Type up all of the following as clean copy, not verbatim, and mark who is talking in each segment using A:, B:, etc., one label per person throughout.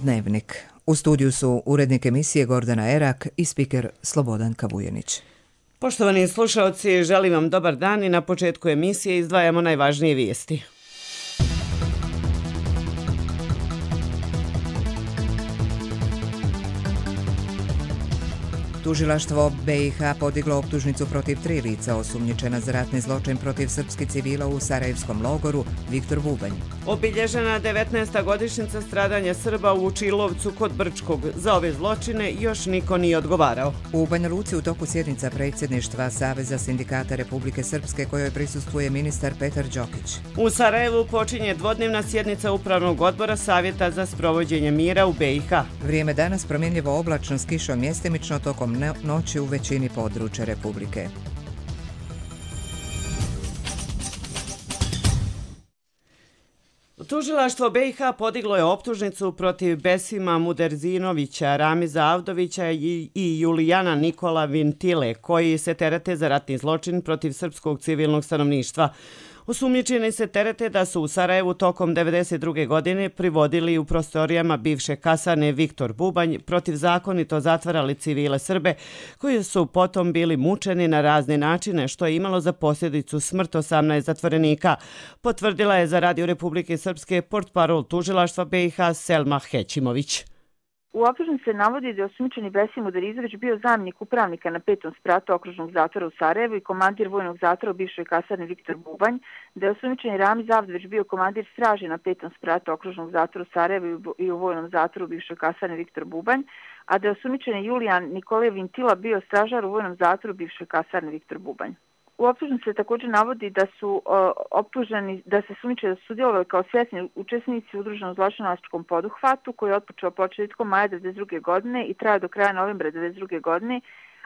A: Dnevnik. U studiju su urednik emisije Gordana Erak i spiker Slobodan Kavujenić.
B: Poštovani slušalci, želim vam dobar dan i na početku emisije izdvajamo najvažnije vijesti.
A: Tužilaštvo BiH podiglo optužnicu protiv 3 lica osumnjičena za ratni zločin protiv srpskih civila u Sarajevskom logoru Viktor Bubanj.
B: Obilježena 19. godišnjica stradanja Srba u Vučilovcu kod Brčkog. Za ove zločine još niko nije odgovarao.
A: U Banja Luci u toku sjednica predsjedništva Saveza sindikata Republike Srpske kojoj prisustvuje ministar Petar Đokić.
B: U Sarajevu počinje dvodnevna sjednica Upravnog odbora Savjeta za sprovođenje mira u BiH.
A: Vrijeme danas promjenljivo oblačno s kišom mjestimično tokom noći u većini područja Republike.
B: Tužilaštvo BiH podiglo je optužnicu protiv Besima Muderzinovića, Ramiza Avdovića i Julijana Nikola Vintile, koji se terete za ratni zločin protiv srpskog civilnog stanovništva. Osumnjičeni se terete da su u Sarajevu tokom 1992. godine privodili u prostorijama bivše kasarne Viktor Bubanj, protivzakonito zatvarali civile Srbe, koji su potom bili mučeni na razne načine, što je imalo za posljedicu smrt 18 zatvorenika, potvrdila je za Radio Republike Srpske portparol tužilaštva BiH Selma Hećimović.
C: U optužnici se navodi da je osumnjičeni Besim Muderizović bio zamjenik upravnika na 5. spratu okružnog zatvora u Sarajevu i komandir vojnog zatvora u bivšoj kasarni Viktor Bubanj, da je osumnjičeni Ramiz Avdović bio komandir straže na 5. spratu okružnog zatvora u Sarajevu i u vojnom zatvoru u bivšoj kasarni Viktor Bubanj, a da je osumnjičeni Julijan Nikola Vintila bio stražar u vojnom zatvoru u bivšoj kasarni Viktor Bubanj. U optužnici se također navodi da su optuženi da se sumnjiče da su sudjelovali kao svjesni učesnici u udruženom zločinačkom poduhvatu koji je otpočeo početkom maja 1992. godine i trajao do kraja novembra 1992. godine,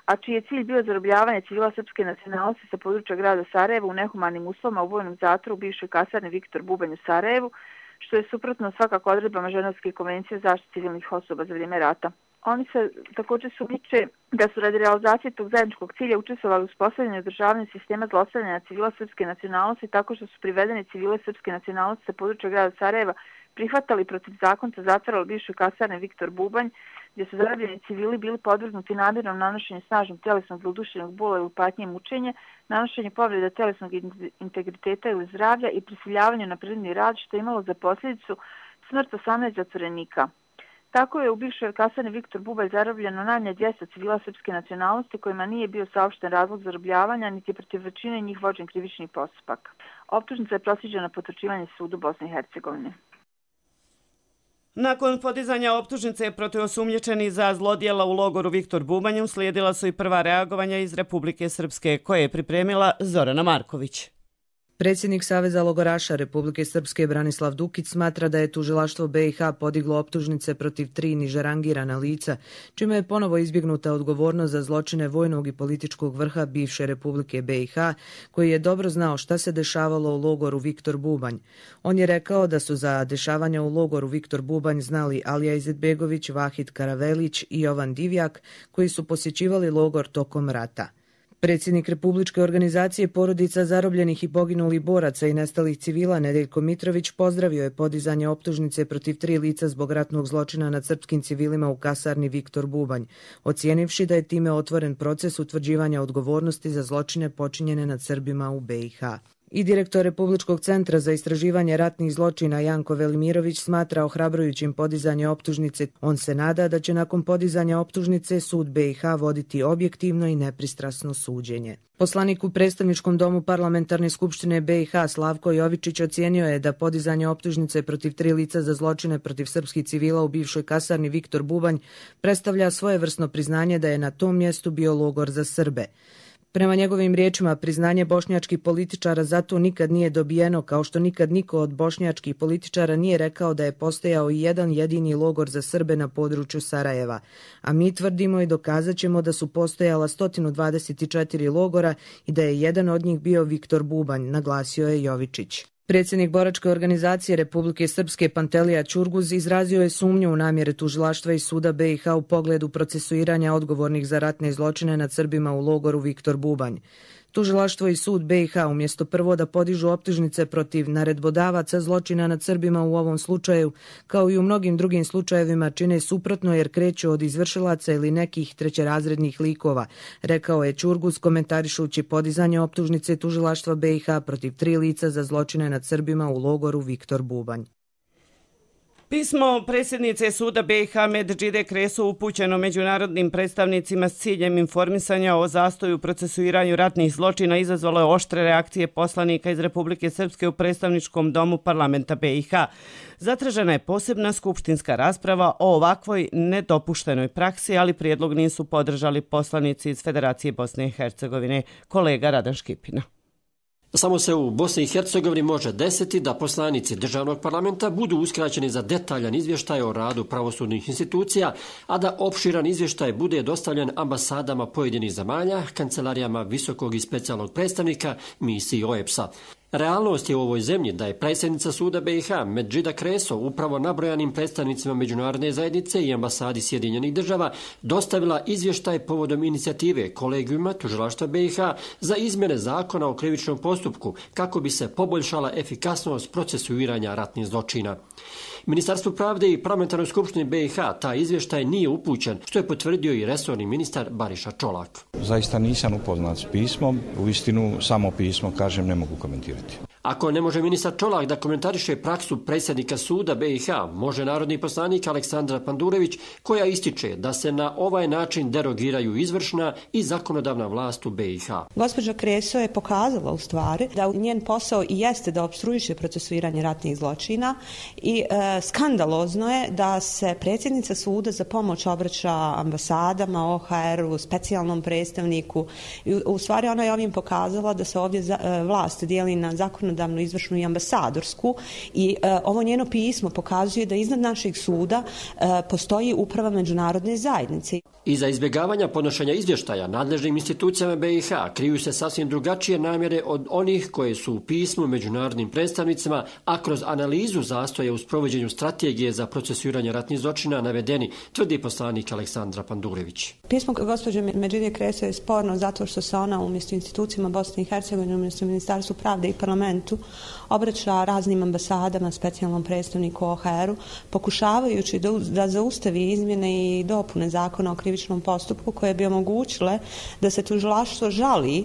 C: a čiji je cilj bio zarobljavanje civila srpske nacionalnosti sa područja grada Sarajeva u nehumanim uslovima u vojnom zatvoru u bivšoj kasarni Viktor Bubanj u Sarajevu, što je suprotno svakako odredbama Ženevske konvencije o zaštiti civilnih osoba za vrijeme rata. Oni se također sumnjiče da su radi realizacije tog zajedničkog cilja učestvovali u uspostavljanju i održavanju sistema zlostavljanja civila srpske nacionalnosti tako što su privedeni civile srpske nacionalnosti sa područja grada Sarajeva prihvatali protivzakonito zatvarali bivše kasarne Viktor Bubanj, gdje su zarobljeni civili bili podvrgnuti namjernom nanošenju snažnog tjelesnog ili duševnog bola ili patnje i mučenje, nanošenje povreda tjelesnog integriteta ili zdravlja i prisiljavanju na prirodni rad, što je imalo za posljedicu smrt 18 zatvorenika. Tako je u bivšoj kasarni Viktor Bubanj zarobljeno najmanje 200 civila srpske nacionalnosti kojima nije bio saopšten razlog zarobljavanja, niti je protiv većine njih vođen krivični postupak. Optužnica je proslijeđena na potvrđivanje sudu Bosne i Hercegovine.
B: Nakon podizanja optužnice protiv osumnjičenih za zlodjela u logoru Viktor Bubanj uslijedila su i prva reagovanja iz Republike Srpske, koje je pripremila Zorana Marković.
D: Predsjednik Saveza logoraša Republike Srpske Branislav Dukić smatra da je tužilaštvo BiH podiglo optužnice protiv 3 niže rangirana lica, čime je ponovo izbjegnuta odgovornost za zločine vojnog i političkog vrha bivše Republike BiH, koji je dobro znao šta se dešavalo u logoru Viktor Bubanj. On je rekao da su za dešavanja u logoru Viktor Bubanj znali Alija Izetbegović, Vahid Karavelić i Jovan Divjak, koji su posjećivali logor tokom rata. Predsjednik Republičke organizacije porodica zarobljenih i poginulih boraca i nestalih civila Nedeljko Mitrović pozdravio je podizanje optužnice protiv 3 lica zbog ratnog zločina nad srpskim civilima u kasarni Viktor Bubanj, ocijenivši da je time otvoren proces utvrđivanja odgovornosti za zločine počinjene nad Srbima u BiH. I direktor Republičkog centra za istraživanje ratnih zločina Janko Velimirović smatra ohrabrujućim podizanje optužnice. On se nada da će nakon podizanja optužnice sud BiH voditi objektivno i nepristrasno suđenje. Poslanik u predstavničkom domu Parlamentarne skupštine BiH Slavko Jovičić ocijenio je da podizanje optužnice protiv 3 lica za zločine protiv srpskih civila u bivšoj kasarni Viktor Bubanj predstavlja svojevrsno priznanje da je na tom mjestu bio logor za Srbe. Prema njegovim riječima, priznanje bošnjačkih političara zato nikad nije dobijeno, kao što nikad niko od bošnjačkih političara nije rekao da je postojao i jedan jedini logor za Srbe na području Sarajeva. A mi tvrdimo i dokazat ćemo da su postojala 124 logora i da je jedan od njih bio Viktor Bubanj, naglasio je Jovičić. Predsjednik boračke organizacije Republike Srpske Pantelija Ćurguz izrazio je sumnju u namjere tužilaštva i suda BiH u pogledu procesuiranja odgovornih za ratne zločine nad Srbima u logoru Viktor Bubanj. Tužilaštvo i sud BiH umjesto prvo da podižu optužnice protiv naredbodavaca zločina nad Srbima u ovom slučaju, kao i u mnogim drugim slučajevima, čine suprotno jer kreću od izvršilaca ili nekih trećerazrednih likova, rekao je Ćurgus komentarišući podizanje optužnice tužilaštva BiH protiv 3 lica za zločine nad Srbima u logoru Viktor Bubanj.
B: Pismo predsjednice suda BiH Medžide Kreso upućeno međunarodnim predstavnicima s ciljem informisanja o zastoju u procesuiranju ratnih zločina izazvalo je oštre reakcije poslanika iz Republike Srpske u predstavničkom domu parlamenta BiH. Zatražena je posebna skupštinska rasprava o ovakvoj nedopuštenoj praksi, ali prijedlog nisu podržali poslanici iz Federacije Bosne i Hercegovine. Kolega Radan Škipina.
E: Samo se u Bosni i Hercegovini može desiti da poslanici državnog parlamenta budu uskraćeni za detaljan izvještaj o radu pravosudnih institucija, a da opširan izvještaj bude dostavljen ambasadama pojedinih zemalja, kancelarijama visokog i specijalnog predstavnika, misiji OEBS-a. Realnost je u ovoj zemlji da je predsjednica suda BiH Medžida Kreso upravo nabrojanim predstavnicima međunarodne zajednice i ambasadi Sjedinjenih država dostavila izvještaj povodom inicijative kolegijuma tužilaštva BiH za izmjene zakona o krivičnom postupku kako bi se poboljšala efikasnost procesuiranja ratnih zločina. Ministarstvu pravde i parlamentarnoj skupštini BiH taj izvještaj nije upućen, što je potvrdio i resorni ministar Bariša Čolak.
F: Zaista nisam upoznat s pismom, uistinu samo pismo, kažem, ne mogu komentirati.
E: Ako ne može ministar Čolak da komentariše praksu predsjednika suda BiH, može narodni poslanik Aleksandra Pandurević, koja ističe da se na ovaj način derogiraju izvršna i zakonodavna vlast u BiH.
G: Gospođa Kreso je pokazala u stvari da njen posao i jeste da opstruiše procesuiranje ratnih zločina i skandalozno je da se predsjednica suda za pomoć obraća ambasadama, OHR-u, specijalnom predstavniku. U stvari ona je ovim pokazala da se ovdje vlast dijeli na zakonodavnu, izvršnu i ambasadorsku i ovo njeno pismo pokazuje da iznad našeg suda postoji uprava međunarodne zajednice.
E: Iza izbjegavanja podnošenja izvještaja nadležnim institucijama BiH kriju se sasvim drugačije namjere od onih koje su u pismu međunarodnim predstavnicima, a kroz analizu zastoja u sprovođenju strategije za procesuiranje ratnih zločina navedeni, tvrdi poslanik Aleksandra Pandurević.
G: Pismo gospođe Medžide Kreso je sporno zato što se ona umjesto institucijama Bosne i Hercegovine, umjesto Ministarstvu pravde i parlamentu obraća raznim ambasadama, specijalnom predstavniku OHR-u, pokušavajući da zaustavi izmjene i dopune zakona o krivičnom postupku koje bi omogućile da se tužilaštvo žali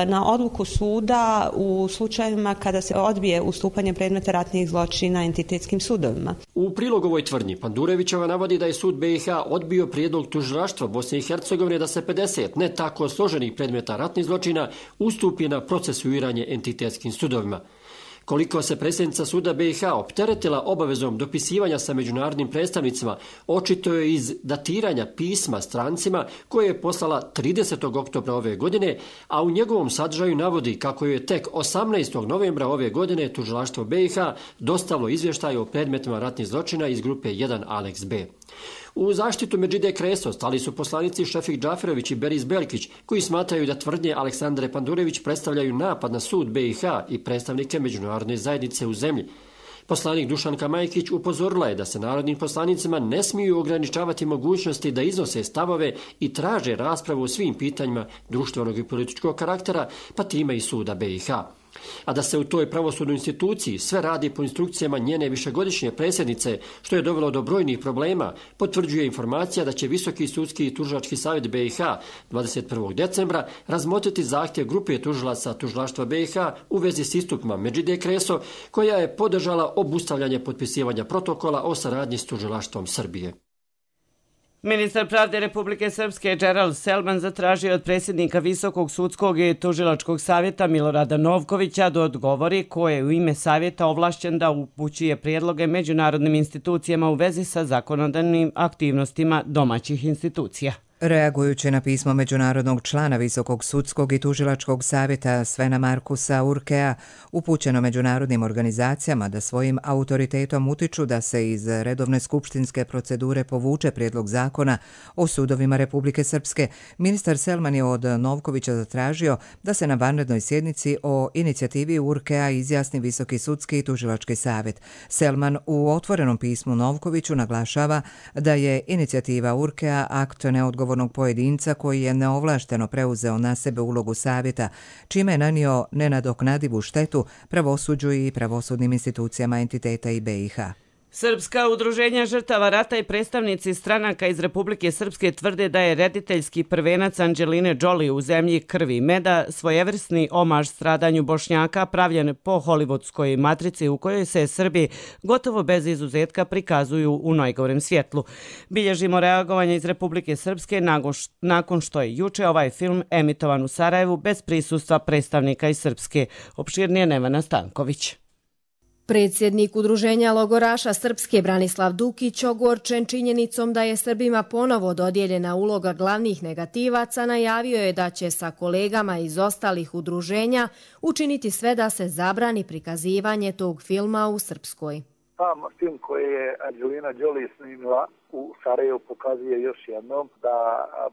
G: na odluku suda u slučajevima kada se odbije ustupanje predmeta ratnih zločina entitetskim sudovima.
E: U prilog ovoj tvrdnji Pandurevićeva navodi da je sud BiH odbio prijedlog tužilaštva Bosne i Hercegovine da se 50 ne tako složenih predmeta ratnih zločina ustupi na procesuiranje entitetskim sudovima. Koliko se predsjednica suda BiH opteretila obavezom dopisivanja sa međunarodnim predstavnicima, očito je iz datiranja pisma strancima koje je poslala 30. oktobra ove godine, a u njegovom sadržaju navodi kako je tek 18. novembra ove godine tužilaštvo BiH dostavilo izvještaj o predmetima ratnih zločina iz grupe 1 Aneks B. U zaštitu Medžide Kreso stali su poslanici Šefik Džaferović i Beris Belkić, koji smatraju da tvrdnje Aleksandre Pandurević predstavljaju napad na sud BiH i predstavnike međunarodne zajednice u zemlji. Poslanik Dušanka Majkić upozorila je da se narodnim poslanicima ne smiju ograničavati mogućnosti da iznose stavove i traže raspravu o svim pitanjima društvenog i političkog karaktera, pa time i suda BiH. A da se u toj pravosudnoj instituciji sve radi po instrukcijama njene višegodišnje predsjednice, što je dovelo do brojnih problema, potvrđuje informacija da će Visoki sudski i tužilački savjet BiH 21. decembra razmotriti zahtjev grupe tužilaca tužilaštva BiH u vezi s istupima Medžide Kreso, koja je podržala obustavljanje potpisivanja protokola o saradnji s tužilaštvom Srbije.
B: Ministar pravde Republike Srpske Gerald Selman zatražio od predsjednika Visokog sudskog i tužilačkog savjeta Milorada Novkovića da odgovori ko je u ime savjeta ovlašćen da upućuje prijedloge međunarodnim institucijama u vezi sa zakonodavnim aktivnostima domaćih institucija.
A: Reagujući na pismo međunarodnog člana Visokog sudskog i tužilačkog savjeta Svena Markusa Urkea, upućeno međunarodnim organizacijama da svojim autoritetom utiču da se iz redovne skupštinske procedure povuče prijedlog zakona o sudovima Republike Srpske, ministar Selman je od Novkovića zatražio da se na vanrednoj sjednici o inicijativi Urkea izjasni Visoki sudski i tužilački savjet. Selman u otvorenom pismu Novkoviću naglašava da je inicijativa Urkea akt neodgovornosti odgovornog pojedinca koji je neovlašteno preuzeo na sebe ulogu savjeta, čime je nanio nenadoknadivu štetu pravosuđu i pravosudnim institucijama entiteta i BiH.
B: Srpska udruženja žrtava rata i predstavnici stranaka iz Republike Srpske tvrde da je rediteljski prvenac Anđeline Jolie u Zemlji krvi i meda svojevrsni omaž stradanju Bošnjaka pravljen po hollywoodskoj matrici u kojoj se Srbi gotovo bez izuzetka prikazuju u najgorem svjetlu. Bilježimo reagovanje iz Republike Srpske nakon što je juče ovaj film emitovan u Sarajevu bez prisustva predstavnika iz Srpske. Opširnije Nevena Stanković.
H: Predsjednik Udruženja logoraša Srpske Branislav Dukić, ogorčen činjenicom da je Srbima ponovo dodijeljena uloga glavnih negativaca, najavio je da će sa kolegama iz ostalih udruženja učiniti sve da se zabrani prikazivanje tog filma u Srpskoj.
I: Sam film koji je Anđelina Jolie snimila u Sarajevu pokazuje još jednom da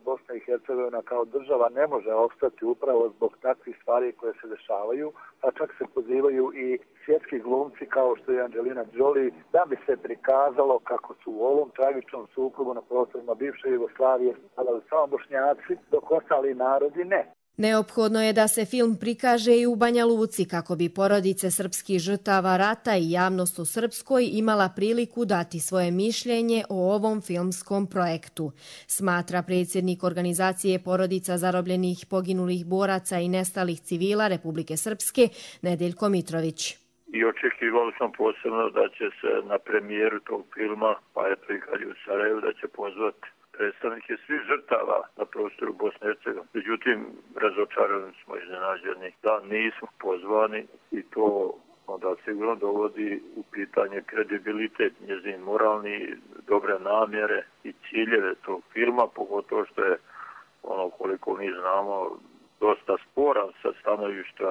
I: Bosna i Hercegovina kao država ne može opstati upravo zbog takvih stvari koje se dešavaju, pa čak se pozivaju i svjetski glumci kao što je Anđelina Jolie da bi se prikazalo kako su u ovom tragičnom sukobu na prostorima bivše Jugoslavije stradali samo Bošnjaci, dok ostali narodi ne.
H: Neophodno je da se film prikaže i u Banja Luci kako bi porodice srpskih žrtava rata i javnost u Srpskoj imala priliku dati svoje mišljenje o ovom filmskom projektu, smatra predsjednik organizacije porodica zarobljenih poginulih boraca i nestalih civila Republike Srpske Nedeljko Mitrović.
J: I očekivali smo posebno da će se na premijeru tog filma, pa je prikaz u Sarajevu, da će pozvati predstavnike svih žrtava na prostoru Bosne i Hercegovine. Međutim, razočarani smo, iznenađeni da nismo pozvani i to onda sigurno dovodi u pitanje kredibilitet, njezin moralni, dobre namjere i ciljeve tog filma, pogotovo što je ono koliko mi znamo dosta sporan sa stanovišta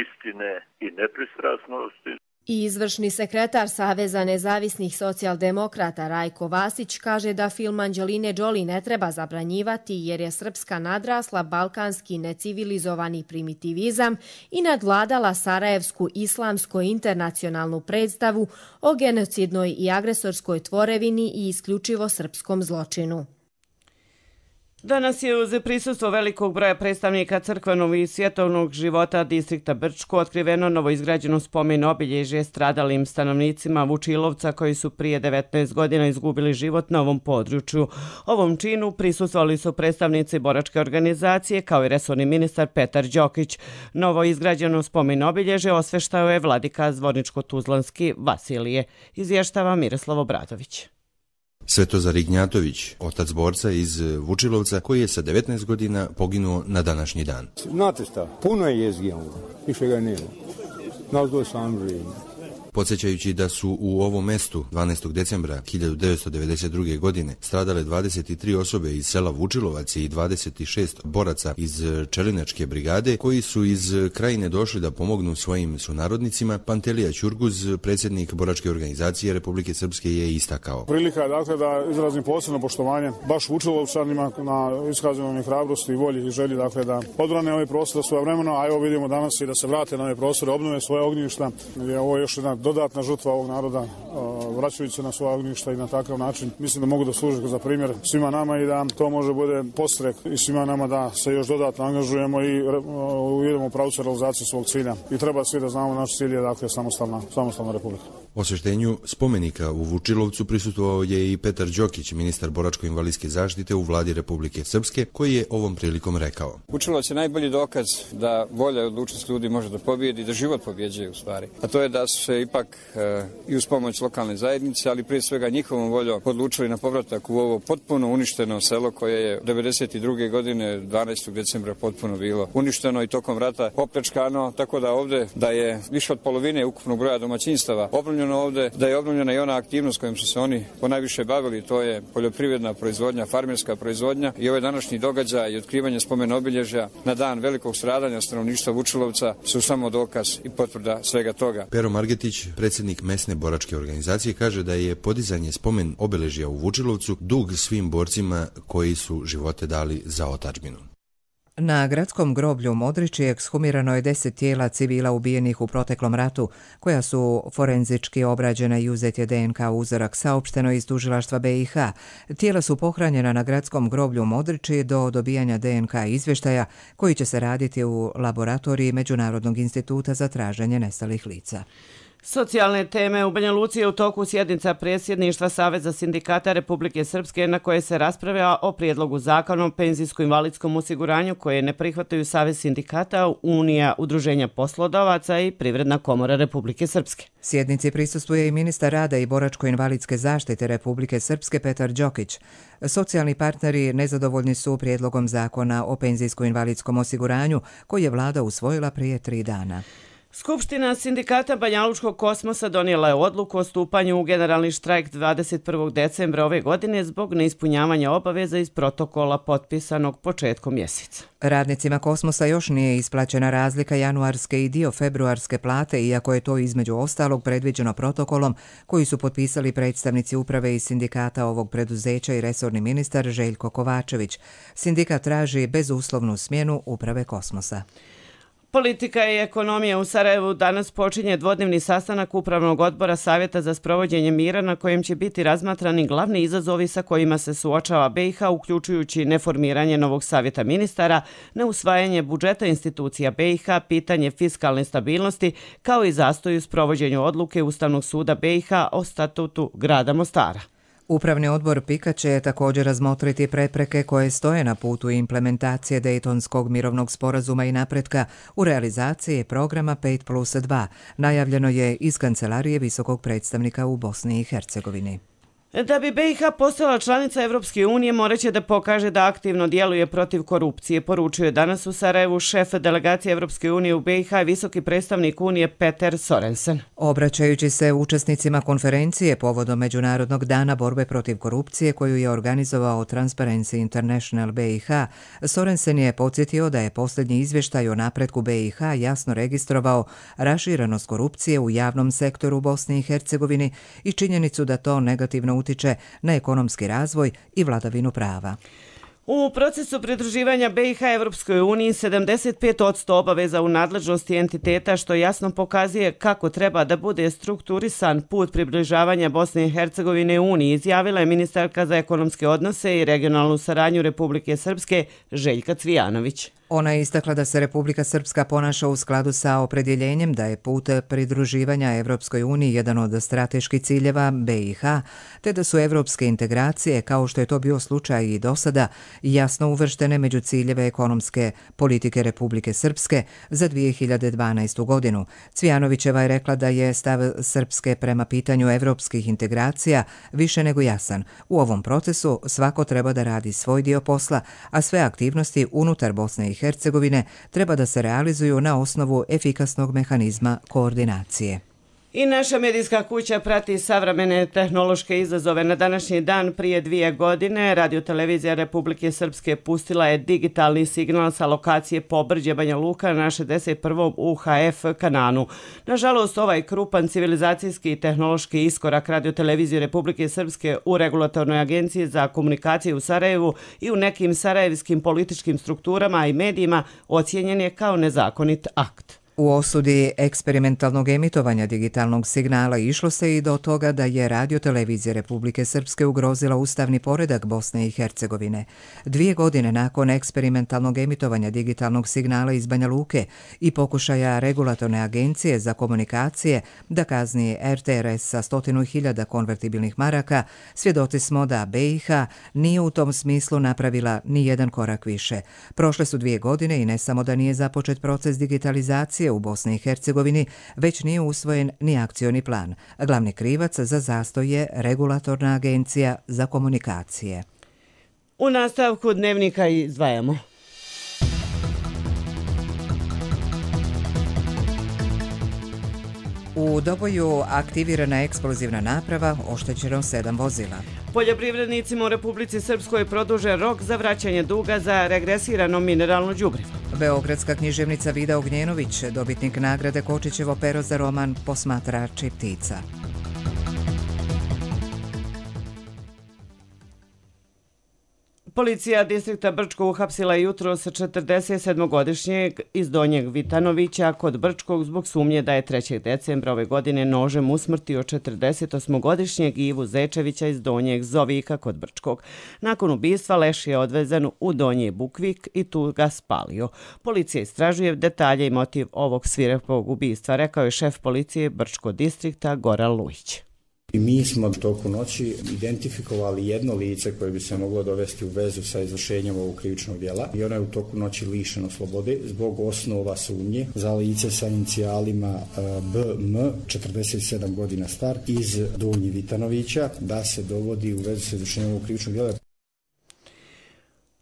J: istine i nepristrasnosti.
H: I izvršni sekretar Saveza nezavisnih socijaldemokrata Rajko Vasić kaže da film Anđeline Jolie ne treba zabranjivati jer je Srpska nadrasla balkanski necivilizovani primitivizam i nadvladala sarajevsku islamsko-internacionalnu predstavu o genocidnoj i agresorskoj tvorevini i isključivo srpskom zločinu.
B: Danas je uz prisustvo velikog broja predstavnika crkvenog i svjetovnog života distrikta Brčko otkriveno novoizgrađeno spomen obilježje stradalim stanovnicima Vučilovca koji su prije 19 godina izgubili život na ovom području. Ovom činu prisustvovali su predstavnici boračke organizacije kao i resorni ministar Petar Đokić. Novoizgrađeno spomen obilježje osveštao je vladika Zvorničko-Tuzlanski Vasilije, izvještava Miroslav Obradović.
K: Svetozar Ignjatović, otac borca iz Vučilovca, koji je sa 19 godina poginuo na današnji dan.
L: Znate šta, puno je jezgija, više ga nema. Nas dvoje sam živimo.
K: Podsjećajući da su u ovom mestu 12. decembra 1992. godine stradale 23 osobe iz sela Vučilovac i 26 boraca iz Čelinačke brigade koji su iz Krajine došli da pomognu svojim sunarodnicima, Pantelija Ćurguz, predsjednik boračke organizacije Republike Srpske, je istakao.
M: Prilika je dakle da izrazim posebno poštovanje baš Vučilovčanima na iskazanoj hrabrosti i volji i želji dakle da odbrane ovaj prostor svojevremeno, a evo vidimo danas i da se vrate na ove prostore, obnove svoje ognjišta. Ovo je još jedna dodatna žrtva ovog naroda, vraćajući se na svoja ognjišta i na takav način mislim da mogu da služe za primjer svima nama i da to može bude podstrek i svima nama da se još dodatno angažujemo i idemo u pravcu realizacije svog cilja. I treba svi da znamo naš cilj je dakle samostalna republika.
K: Osveštenju spomenika u Vučilovcu prisustvovao je i Petar Đokić, ministar boračko-invalidske zaštite u vladi Republike Srpske, koji je ovom prilikom rekao.
N: Vučilovac je najbolji dokaz da volja i odlučnost ljudi može da pobijedi i da život pobjeđuje u stvari. A to je da su se ipak i uz pomoć lokalne zajednice, ali prije svega njihovom voljom odlučili na povratak u ovo potpuno uništeno selo koje je 92. godine 12. decembra potpuno bilo uništeno i tokom rata opljačkano, tako da ovdje da je više od polovine ukupnog broja domaćinstava obnovljeno ovdje, da je obnovljena i ona aktivnost kojom su se oni ponajviše bavili, to je poljoprivredna proizvodnja, farmerska proizvodnja i ovaj današnji događaj i otkrivanje spomen obilježja na dan velikog stradanja stanovništva Vučilovca su samo dokaz i potvrda svega toga.
K: Pero Margetić, predsjednik mesne boračke organizacije, kaže da je podizanje spomen obeležja u Vučilovcu dug svim borcima koji su živote dali za otadžbinu.
A: Na gradskom groblju u Modriči ekshumirano je 10 tijela civila ubijenih u proteklom ratu, koja su forenzički obrađena i uzet je DNK uzorak, saopšteno iz tužilaštva BiH. Tijela su pohranjena na gradskom groblju u Modriči do dobijanja DNK izvještaja, koji će se raditi u laboratoriji Međunarodnog instituta za traženje nestalih lica.
B: Socijalne teme u Banja Luci je u toku sjednica predsjedništva Saveza sindikata Republike Srpske na koje se raspravlja o prijedlogu zakona o penzijsko-invalidskom osiguranju koje ne prihvataju Savez sindikata, Unija udruženja poslodavaca i Privredna komora Republike Srpske.
A: Sjednici prisustvuje i ministar rada i boračko-invalidske zaštite Republike Srpske Petar Đokić. Socijalni partneri nezadovoljni su prijedlogom zakona o penzijsko-invalidskom osiguranju koji je vlada usvojila prije 3 dana.
B: Skupština sindikata Banjalučkog kosmosa donijela je odluku o stupanju u generalni štrajk 21. decembra ove godine zbog neispunjavanja obaveza iz protokola potpisanog početkom mjeseca.
A: Radnicima Kosmosa još nije isplaćena razlika januarske i dio februarske plate, iako je to između ostalog predviđeno protokolom koji su potpisali predstavnici uprave i sindikata ovog preduzeća i resorni ministar Željko Kovačević. Sindikat traži bezuslovnu smjenu uprave Kosmosa.
B: Politika i ekonomija u Sarajevu danas počinje dvodnevni sastanak Upravnog odbora Savjeta za sprovođenje mira na kojem će biti razmatrani glavni izazovi sa kojima se suočava BiH, uključujući neformiranje novog savjeta ministara, neusvajanje budžeta institucija BiH, pitanje fiskalne stabilnosti, kao i zastoj u sprovođenju odluke Ustavnog suda BiH o statutu grada Mostara.
A: Upravni odbor PIK-a će također razmotriti prepreke koje stoje na putu implementacije Dejtonskog mirovnog sporazuma i napretka u realizaciji programa 5+2, najavljeno je iz Kancelarije visokog predstavnika u Bosni i Hercegovini.
B: Da bi BiH postala članica Evropske unije, moraće da pokaže da aktivno djeluje protiv korupcije, poručuje danas u Sarajevu šef delegacije Evropske unije u BiH i visoki predstavnik Unije Peter Sorensen.
A: Obraćajući se učesnicima konferencije povodom Međunarodnog dana borbe protiv korupcije koju je organizovao Transparency International BiH, Sorensen je podsjetio da je posljednji izvještaj o napretku BiH jasno registrovao raširenost korupcije u javnom sektoru Bosni i Hercegovini i činjenicu da to negativno utiče na ekonomski razvoj i vladavinu prava.
B: U procesu pridruživanja BiH Evropskoj uniji 75% obaveza u nadležnosti entiteta, što jasno pokazuje kako treba da bude strukturisan put približavanja Bosne i Hercegovine Uniji, izjavila je ministarka za ekonomske odnose i regionalnu saradnju Republike Srpske Željka Cvijanović.
A: Ona je istakla da se Republika Srpska ponaša u skladu sa opredjeljenjem da je put pridruživanja Evropskoj uniji jedan od strateških ciljeva BiH, te da su evropske integracije, kao što je to bio slučaj i do sada, jasno uvrštene među ciljeve ekonomske politike Republike Srpske za 2012. godinu. Cvijanovićeva je rekla da je stav Srpske prema pitanju evropskih integracija više nego jasan. U ovom procesu svako treba da radi svoj dio posla, a sve aktivnosti unutar Bosne i Hercegovine treba da se realizuju na osnovu efikasnog mehanizma koordinacije.
B: I naša medijska kuća prati savremene tehnološke izazove. Na današnji dan prije 2 godine Radiotelevizija Republike Srpske pustila je digitalni signal sa lokacije Pobrđe Banja Luka na 61. UHF kananu. Nažalost, ovaj krupan civilizacijski i tehnološki iskorak Radiotelevizije Republike Srpske u Regulatornoj agenciji za komunikacije u Sarajevu i u nekim sarajevskim političkim strukturama i medijima ocijenjen je kao nezakonit akt.
A: U osudi eksperimentalnog emitovanja digitalnog signala išlo se i do toga da je Radiotelevizija Republike Srpske ugrozila ustavni poredak Bosne i Hercegovine. 2 godine nakon eksperimentalnog emitovanja digitalnog signala iz Banja Luke i pokušaja Regulatorne agencije za komunikacije da kazni RTRS sa 100.000 konvertibilnih maraka, svjedoci smo da BiH nije u tom smislu napravila ni jedan korak više. Prošle su 2 godine i ne samo da nije započet proces digitalizacije u Bosni i Hercegovini, već nije usvojen ni akcioni plan. Glavni krivac za zastoj je Regulatorna agencija za komunikacije.
B: U nastavku dnevnika izdvajamo.
A: U Doboju aktivirana eksplozivna naprava, oštećeno 7 vozila.
B: Poljoprivrednicima u Republici Srpskoj produže rok za vraćanje duga za regresirano mineralno đubrivo.
A: Beogradska književnica Vida Ognjenović, dobitnik nagrade Kočićevo pero za roman Posmatrači ptica.
B: Policija distrikta Brčko uhapsila jutros 47-godišnjeg iz Donjeg Vitanovića kod Brčkog zbog sumnje da je 3. decembra ove godine nožem usmrtio 48-godišnjeg Ivu Zečevića iz Donjeg Zovika kod Brčkog. Nakon ubistva leš je odvezen u Donji Bukvik i tu ga spalio. Policija istražuje detalje i motiv ovog svirepog ubistva, rekao je šef policije Brčko distrikta Goran Lujić.
O: Mi smo toku noći identifikovali jedno lice koje bi se moglo dovesti u vezu sa izvršenjem ovog krivičnog djela i ono je u toku noći lišeno slobode zbog osnova sumnje za lice sa inicijalima BM, 47 godina star, iz Donji Vitanovića, da se dovodi u vezu sa izvršenjem ovog krivičnog djela.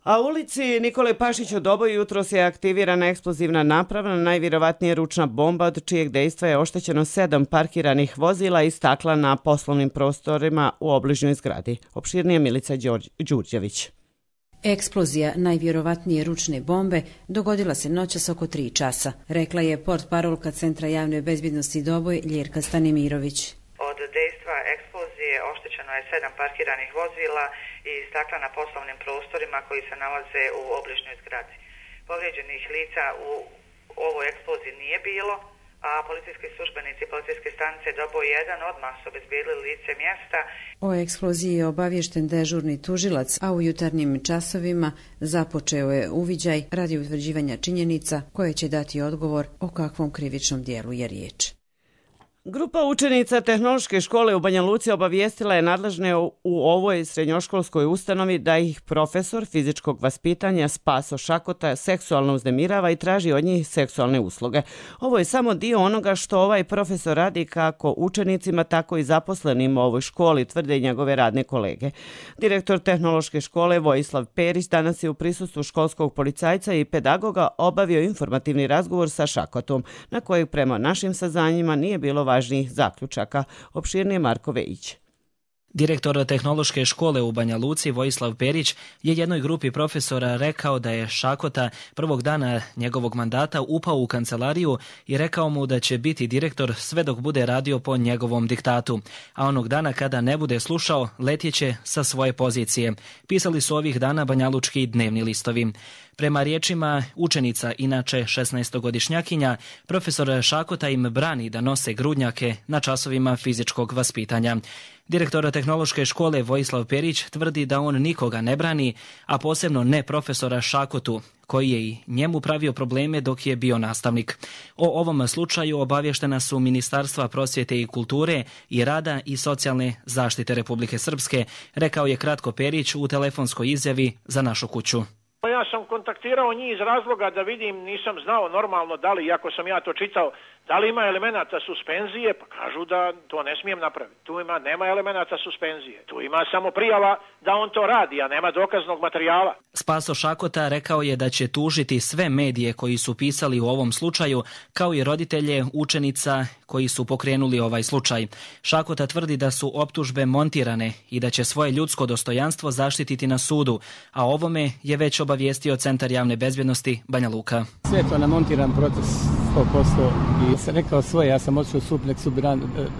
B: A u ulici Nikole Pašić u Doboju jutros je aktivirana eksplozivna naprava, najvjerovatnije ručna bomba od čijeg dejstva je oštećeno 7 parkiranih vozila i stakla na poslovnim prostorima u obližnjoj zgradi. Opširnije Milica Đurđević.
P: Eksplozija najvjerovatnije ručne bombe dogodila se noćas oko 3 časa, rekla je portparolka Centra javne bezbjednosti Doboj Ljerka Stanimirović.
Q: Od dejstva eksplozije oštećeno je 7 parkiranih vozila i stakla na poslovnim prostorima koji se nalaze u obližnjoj zgradi. Povrijeđenih lica u ovoj eksploziji nije bilo, a policijski službenici policijske stanice Doboj 1 odmah su obezbijedili lice mjesta.
P: O eksploziji je obaviješten dežurni tužilac, a u jutarnjim časovima započeo je uviđaj radi utvrđivanja činjenica koje će dati odgovor o kakvom krivičnom dijelu je riječ.
B: Grupa učenica Tehnološke škole u Banja Luci obavijestila je nadležne u ovoj srednjoškolskoj ustanovi da ih profesor fizičkog vaspitanja Spaso Šakota seksualno uznemirava i traži od njih seksualne usluge. Ovo je samo dio onoga što ovaj profesor radi kako učenicima, tako i zaposlenima u ovoj školi, tvrde i njegove radne kolege. Direktor Tehnološke škole Vojislav Perić danas je u prisustvu školskog policajca i pedagoga obavio informativni razgovor sa Šakotom, na kojeg prema našim saznanjima nije bilo važnijih zaključaka. Opširnije Marko Vejić.
R: Direktor Tehnološke škole u Banja Luci Vojislav Perić je jednoj grupi profesora rekao da je Šakota prvog dana njegovog mandata upao u kancelariju i rekao mu da će biti direktor sve dok bude radio po njegovom diktatu, a onog dana kada ne bude slušao letjeće sa svoje pozicije. Pisali su ovih dana banjalučki dnevni listovi. Prema riječima učenica, inače 16-godišnjakinja, profesor Šakota im brani da nose grudnjake na časovima fizičkog vaspitanja. Direktor Tehnološke škole Vojislav Perić tvrdi da on nikoga ne brani, a posebno ne profesora Šakotu, koji je i njemu pravio probleme dok je bio nastavnik. O ovom slučaju obavještena su Ministarstva prosvjete i kulture i rada i socijalne zaštite Republike Srpske, rekao je kratko Perić u telefonskoj izjavi za Našu kuću.
S: Ja sam kontaktirao njih iz razloga da vidim, nisam znao normalno da li, iako sam ja to čitao, da li ima elemenata suspenzije, pa kažu da to ne smijem napraviti. Tu nema elemenata suspenzije. Tu ima samo prijava da on to radi, a nema dokaznog materijala.
R: Spaso Šakota rekao je da će tužiti sve medije koji su pisali u ovom slučaju, kao i roditelje učenica koji su pokrenuli ovaj slučaj. Šakota tvrdi da su optužbe montirane i da će svoje ljudsko dostojanstvo zaštititi na sudu, a ovome je već obavijestio Centar javne bezbjednosti Banja Luka.
T: Sve je to namontiran proces 100% i sam rekao svoje, ja sam otišao sud, nek sud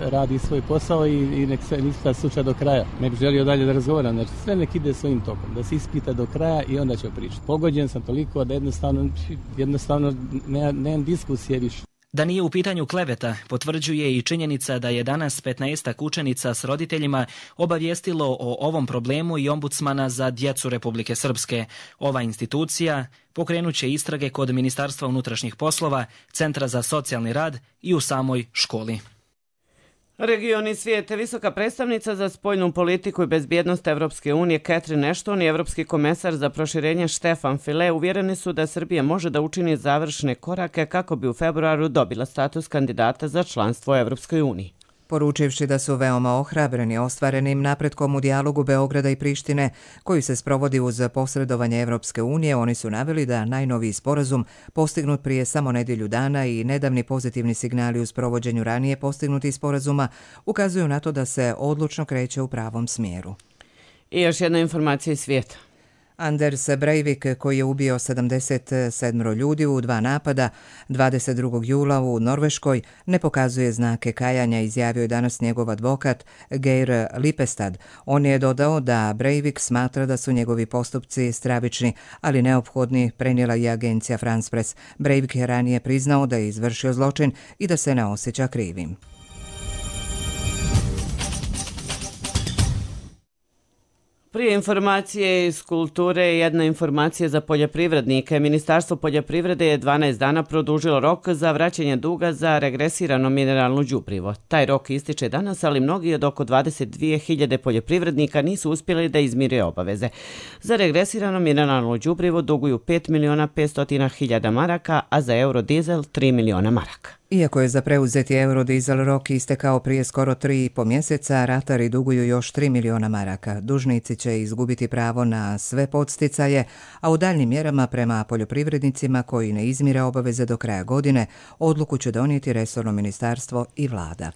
T: radi svoj posao i nek se ispita slučaj do kraja. Ne bih želio dalje da razgovaram, znači sve nek ide svojim tokom, da se ispita do kraja i onda ćemo pričati. Pogođen sam toliko da jednostavno nemam diskusije više.
R: Da nije u pitanju kleveta, potvrđuje i činjenica da je danas 15 učenica s roditeljima obavijestilo o ovom problemu i ombudsmana za djecu Republike Srpske. Ova institucija pokrenut će istrage kod Ministarstva unutrašnjih poslova, Centra za socijalni rad i u samoj školi.
B: Region i svijet. Visoka predstavnica za spoljnu politiku i bezbjednost Evropske unije Catherine Ashton i Evropski komesar za proširenje Stefan Füle uvjereni su da Srbija može da učini završne korake kako bi u februaru dobila status kandidata za članstvo u Evropskoj uniji.
A: Poručivši da su veoma ohrabreni ostvarenim napretkom u dijalogu Beograda i Prištine, koji se sprovodi uz posredovanje Evropske unije, oni su naveli da najnoviji sporazum, postignut prije samo nedjelju dana i nedavni pozitivni signali u sprovođenju ranije postignutih sporazuma, ukazuju na to da se odlučno kreće u pravom smjeru.
B: I još jedna informacija iz svijeta.
A: Anders Breivik, koji je ubio 77 ljudi u 2 napada 22. jula u Norveškoj, ne pokazuje znake kajanja, izjavio je danas njegov advokat Geir Lipestad. On je dodao da Breivik smatra da su njegovi postupci stravični, ali neophodni, prenijela je agencija France Press. Breivik je ranije priznao da je izvršio zločin i da se ne osjeća krivim.
B: Prije informacije iz kulture, jedna informacija za poljoprivrednike. Ministarstvo poljoprivrede je 12 dana produžilo rok za vraćanje duga za regresirano mineralno đubrivo. Taj rok ističe danas, ali mnogi od oko 22.000 poljoprivrednika nisu uspjeli da izmire obaveze. Za regresirano mineralno đubrivo duguju 5.500.000 maraka, a za eurodizel 3 miliona maraka.
A: Iako je za preuzeti eurodizel rok istekao prije skoro 3,5 mjeseca, ratari duguju još 3 miliona maraka. Dužnici će izgubiti pravo na sve podsticaje, a u daljnim mjerama prema poljoprivrednicima koji ne izmire obaveze do kraja godine, odluku će donijeti resorno ministarstvo i vlada.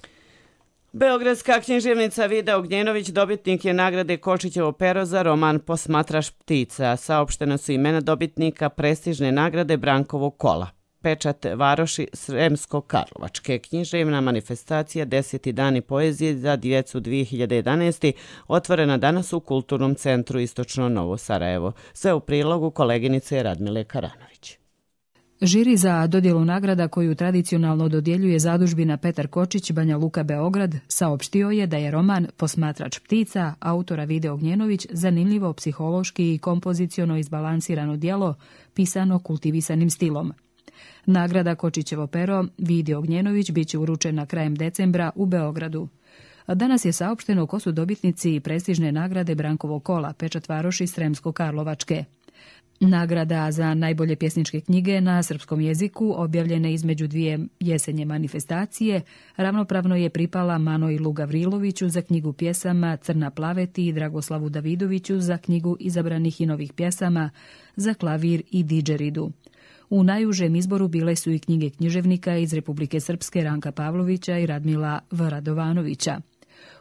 B: Beogradska književnica Vida Ognjenović dobitnik je nagrade Kočićevo pero za roman Posmatraš ptica. Saopštena su imena dobitnika prestižne nagrade Brankovog kola. Pečat Varoši Sremsko-Karlovačke. Književna manifestacija 10. dani poezije za djecu 2011. otvorena danas u Kulturnom centru Istočno Novo Sarajevo. Sve u prilogu koleginice Radmile Karanović.
U: Žiri za dodjelu nagrada koju tradicionalno dodjeljuje zadužbina Petar Kočić Banja Luka Beograd saopštio je da je roman Posmatrač ptica autora Vide Ognjenović zanimljivo psihološki i kompoziciono izbalansirano djelo pisano kultivisanim stilom. Nagrada Kočićevo pero Vidi Ognjenović bit će uručena krajem decembra u Beogradu. Danas je saopšteno ko su dobitnici prestižne nagrade Brankovog kola, Pečat Varoši Sremsko-Karlovačke. Nagrada za najbolje pjesničke knjige na srpskom jeziku, objavljene između 2 jesenje manifestacije, ravnopravno je pripala Manojlu Gavriloviću za knjigu pjesama Crna plaveti i Dragoslavu Davidoviću za knjigu izabranih i novih pjesama za klavir i didžeridu. U najužem izboru bile su i knjige književnika iz Republike Srpske Ranka Pavlovića i Radmila V. Radovanovića.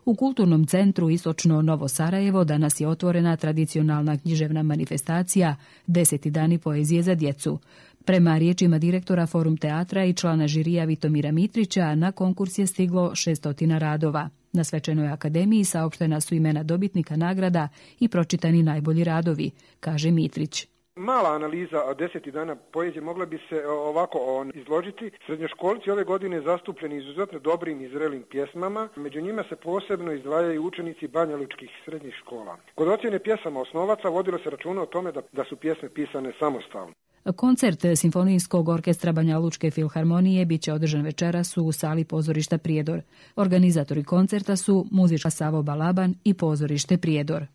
U: U Kulturnom centru Istočno Novo Sarajevo danas je otvorena tradicionalna književna manifestacija 10. dani poezije za djecu. Prema riječima direktora Forum teatra i člana žirija Vitomira Mitrića, na konkurs je stiglo 600 radova. Na svečanoj akademiji saopštena su imena dobitnika nagrada i pročitani najbolji radovi, kaže Mitrić.
V: Mala analiza 10 dana poezije mogla bi se ovako izložiti. Srednjoškolci ove godine zastupljeni izuzetno dobrim i zrelim pjesmama. Među njima se posebno izdvajaju učenici banjalučkih srednjih škola. Kod ocjene pjesama osnovaca vodilo se računa o tome da su pjesme pisane samostalno.
U: Koncert Simfonijskog orkestra Banja Lučke filharmonije bit će održan večeras u sali pozorišta Prijedor. Organizatori koncerta su muzička Savo Balaban i pozorište Prijedor.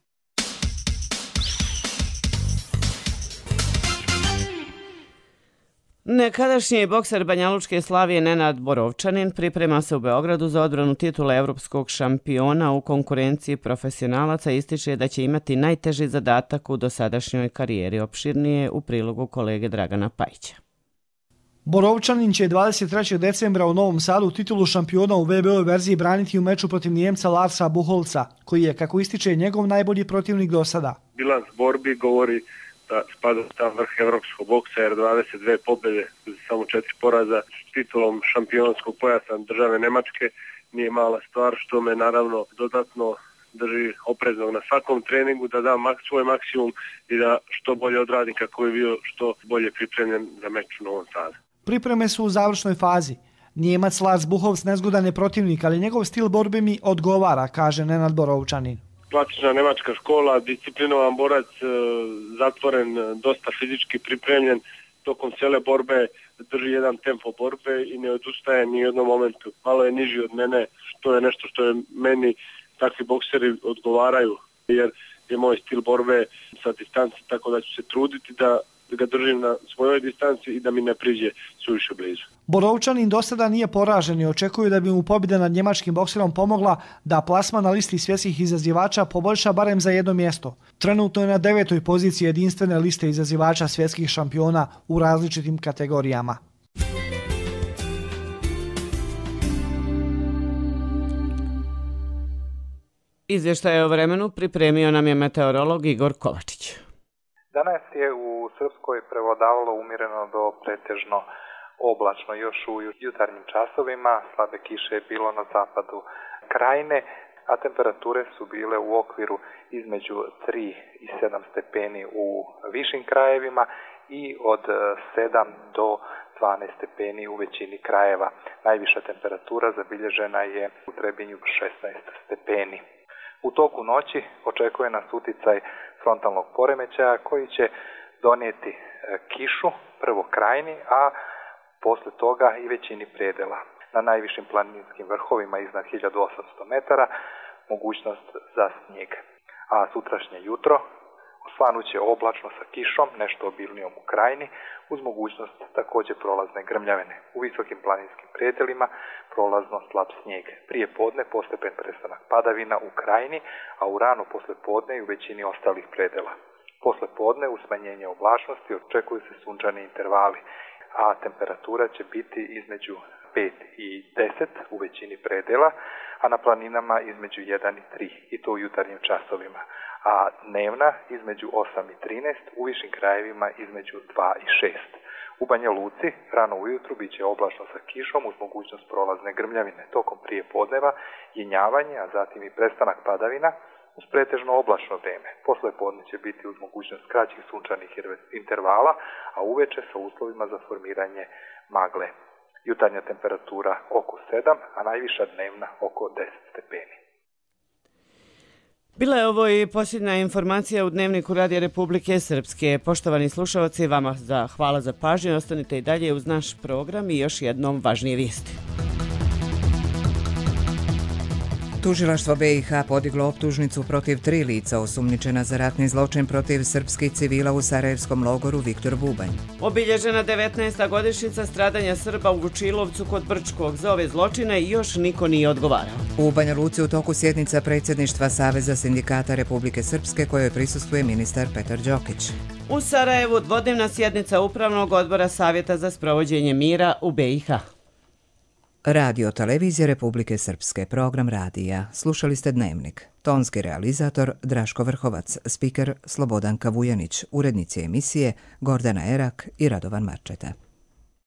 B: Nekadašnji bokser Banjalučke Slavije Nenad Borovčanin priprema se u Beogradu za odbranu titula evropskog šampiona u konkurenciji profesionalaca. Ističe da će imati najteži zadatak u dosadašnjoj karijeri. Opširnije u prilogu kolege Dragana Pajića.
W: Borovčanin će 23. decembra u Novom Sadu titulu šampiona u WBO verziji braniti u meču protiv Njemca Larsa Buholca, koji je, kako ističe, njegov najbolji protivnik do sada.
X: Bilans borbi govori da spada tam vrh evropskog boksa jer 22 pobjede, samo 4 poraza s titulom šampionskog pojasa države Nemačke nije mala stvar, što me naravno dodatno drži opreznog na svakom treningu, da dam svoj maksimum i da što bolje odradim kako je bio što bolje pripremljen za meč u Novom Sadu.
W: Pripreme su u završnoj fazi. Njemac Lars Buchholz nezgodan je protivnik, ali njegov stil borbe mi odgovara, kaže Nenad Borovčanin.
X: Klasična nemačka škola, disciplinovan borac, zatvoren, dosta fizički pripremljen, tokom cijele borbe drži jedan tempo borbe i ne odustaje ni u jednom momentu. Malo je niži od mene, što je nešto što je meni takvi bokseri odgovaraju, jer je moj stil borbe sa distanci, tako da ću se truditi da ga držim na svojoj distanci i da mi ne priđe suviše blizu.
W: Borovčanin do sada nije poražen i očekuju da bi mu pobjeda nad njemačkim bokserom pomogla da plasman na listi svjetskih izazivača poboljša barem za jedno mjesto. Trenutno je na 9. poziciji jedinstvene liste izazivača svjetskih šampiona u različitim kategorijama.
B: Izvještaj o vremenu pripremio nam je meteorolog Igor Kovačić.
C: Danas je u Srpskoj prevladavalo umjereno do pretežno oblačno. Još u jutarnjim časovima slabe kiše je bilo na zapadu krajine, a temperature su bile u okviru između 3 i 7 stepeni u višim krajevima i od 7 do 12 stepeni u većini krajeva. Najviša temperatura zabilježena je u Trebinju 16 stepeni. U toku noći očekuje nas uticaj frontalnog poremećaja koji će donijeti kišu, prvo krajini, a posle toga i većini predela. Na najvišim planinskim vrhovima iznad 1800 metara mogućnost za snijeg. A sutrašnje jutro osvanuće oblačno sa kišom, nešto obilnijom u krajini, uz mogućnost također prolazne grmljavine. U visokim planinskim predelima prolazno slab snijeg. Prije podne postepen prestanak padavina u krajini, a u rano posle podne i u većini ostalih predela. Posle podne u smanjenje oblačnosti očekuju se sunčani intervali, a temperatura će biti između 5 i 10 u većini predela, a na planinama između 1 i 3, i to u jutarnjim časovima, a dnevna između 8 i 13, u višim krajevima između 2 i 6. U Banja Luci rano ujutru bit će oblačno sa kišom uz mogućnost prolazne grmljavine. Tokom prije podneva jenjavanje, a zatim i prestanak padavina uz pretežno oblačno vrijeme. Posle podne će biti uz mogućnost kraćih sunčanih intervala, a uveče sa uslovima za formiranje magle. Jutarnja temperatura oko 7, a najviša dnevna oko 10 stepeni.
B: Bila je ovo i posljednja informacija u Dnevniku Radija Republike Srpske. Poštovani slušalci, vama hvala za pažnju. Ostanite i dalje uz naš program i još jednom važnije vijesti.
A: Tužilaštvo BiH podiglo optužnicu protiv 3 lica osumnjičena za ratni zločin protiv srpskih civila u sarajevskom logoru Viktor Bubanj.
B: Obilježena 19. godišnjica stradanja Srba u Vučilovcu kod Brčkog. Za ove zločine još niko nije odgovarao.
A: U Banja Luci u toku sjednica predsjedništva Saveza sindikata Republike Srpske kojoj prisustvuje ministar Petar Đokić.
B: U Sarajevu dvodnevna sjednica Upravnog odbora Savjeta za sprovođenje mira u BiH.
A: Radio Televizija Republike Srpske, program radija. Slušali ste Dnevnik. Tonski realizator Draško Vrhovac, spiker Slobodanka Vujanić, urednici emisije Gordana Erak i Radovan Marčeta.